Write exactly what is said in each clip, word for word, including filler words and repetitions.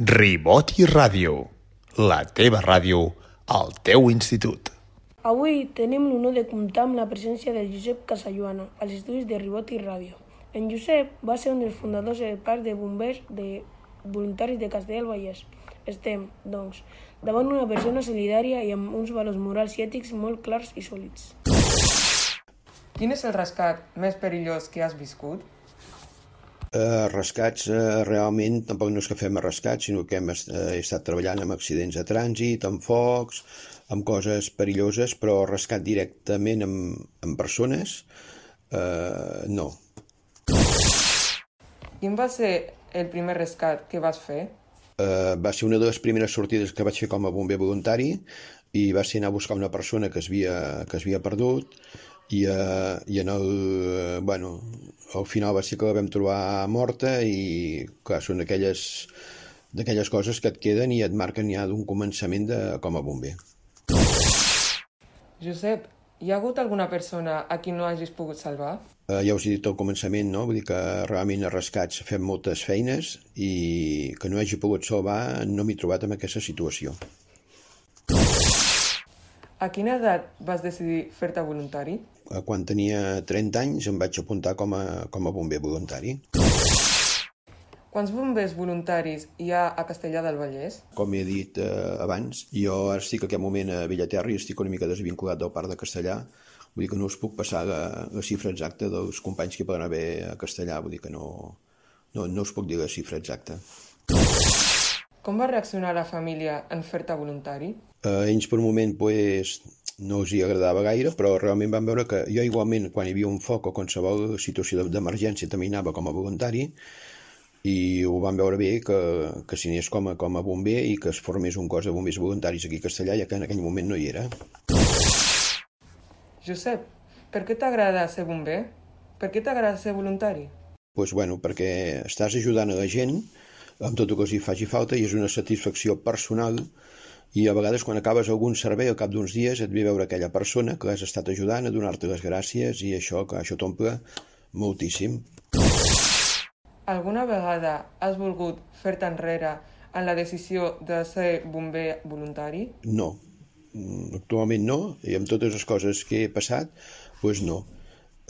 Ribot i Ràdio, la teva ràdio, al teu institut. Avui tenim l'honor de comptar amb la presència del Josep Casalluana als estudis de Ribot i Ràdio. En Josep va ser un dels fundadors del Parc de Bombers de Voluntaris de Castellar del Vallès. Estem, doncs, davant una persona solidària i amb uns valors morals i ètics molt clars i sòlids. Quin és el rescat més perillós que has viscut? Uh, rescats, uh, realment, tampoc no és que fem rescats, sinó que hem est uh, estat treballant amb accidents de trànsit, amb focs, amb coses perilloses, però rescat directament amb, amb persones, uh, no. Quin va ser el primer rescat que vas fer? Uh, va ser una de les primeres sortides que vaig fer com a bomber voluntari i va ser anar a buscar una persona que es havia, que es havia perdut i, uh, i en el, uh, bueno, al final va ser que la vam trobar morta i clar, són d'aquelles d'aquelles coses que et queden i et marquen ja d'un començament de, com a bomber. Josep, hi ha hagut alguna persona a qui no hagis pogut salvar? Uh, ja us he dit al començament, no? Vull dir que realment a rescats fem moltes feines i que no hagi pogut salvar no m'he trobat en aquesta situació. A quina edat vas decidir fer-te voluntari? Quan tenia trenta anys em vaig apuntar com a, com a bomber voluntari. Quants bombers voluntaris hi ha a Castellar del Vallès? Com he dit eh, abans, jo ara estic en aquest moment a Bellaterra i estic una mica desvinculat del Parc de Castellar. Vull dir que no us puc passar la, la xifra exacta dels companys que poden haver a Castellar. Vull dir que no, no, no us puc dir la xifra exacta. Com va reaccionar la família en fer-te voluntari? Eh, ells per un moment pues, no els hi agradava gaire, però realment van veure que jo igualment quan hi havia un foc o qualsevol situació d'emergència també anava com a voluntari i ho van veure bé que, que s'hi anés com a, com a bomber i que es formés un cos de bombers voluntaris aquí a Castellar, ja que en aquell moment no hi era. Josep, per què t'agrada ser bomber? Per què t'agrada ser voluntari? Pues, bueno, perquè estàs ajudant a la gent amb tot el que els hi faci falta i és una satisfacció personal i a vegades quan acabes algun servei al cap d'uns dies et ve veure aquella persona que l'has estat ajudant a donar-te les gràcies i això, que això t'omple moltíssim. Alguna vegada has volgut fer-te enrere en la decisió de ser bomber voluntari? No, actualment no, i amb totes les coses que he passat, doncs no.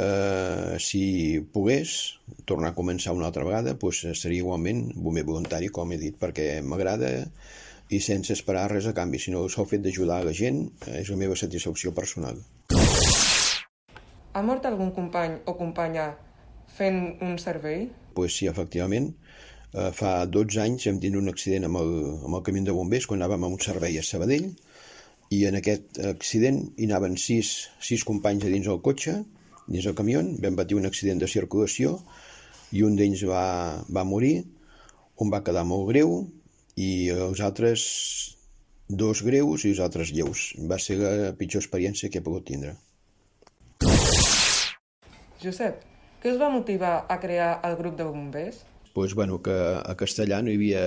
Uh, si pogués tornar a començar una altra vegada, doncs seria igualment bomber voluntari, com he dit, perquè m'agrada i sense esperar res a canvi, sinó el sol fet d'ajudar a la gent és la meva satisfacció personal. Ha mort algun company o companya fent un servei? Pues sí, efectivament. Uh, fa dotze anys vam tenir un accident amb el, amb el camió de bombers quan anàvem a un servei a Sabadell i en aquest accident hi anaven sis, sis companys a dins del cotxe, dins del camió, vam patir un accident de circulació i un d'ells va, va morir, un va quedar molt greu i els altres dos greus i els altres lleus. Va ser la pitjor experiència que he pogut tindre. Josep, què us va motivar a crear el grup de bombers? Pues, bueno, que a Castellar no hi havia,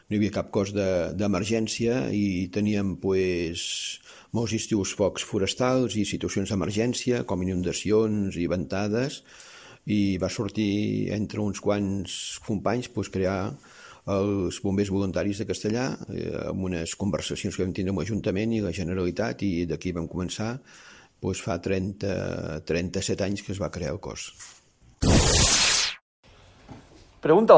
no hi havia cap cos d'emergència de, i teníem pues, molts estius focs forestals i situacions d'emergència com inundacions i ventades i va sortir entre uns quants companys pues, crear els bombers voluntaris de Castellar eh, amb unes conversacions que vam tindre amb l'Ajuntament i la Generalitat i d'aquí vam començar doncs fa trenta, trenta-set anys que es va crear el cos. Pregunta al